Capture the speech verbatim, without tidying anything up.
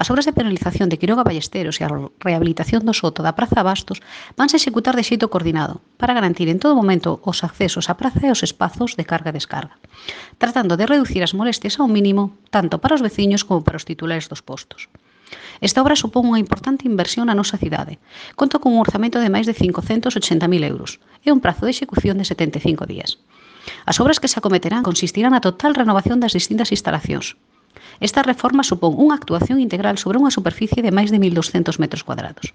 As obras de penalización de Quiroga Ballesteros e a rehabilitación do soto da Praza Bastos vanse executar de xeito coordinado para garantir en todo momento os accesos á praza e os espazos de carga e descarga, tratando de reducir as molestias ao mínimo tanto para os veciños como para os titulares dos postos. Esta obra supón unha importante inversión na nosa cidade. Conta con un orzamento de máis de cincocentos ochenta mil euros e un prazo de execución de setenta e cinco días. As obras que se acometerán consistirán na total renovación das distintas instalacións. Esta reforma supón unha actuación integral sobre unha superficie de máis de mil doscentos metros cuadrados.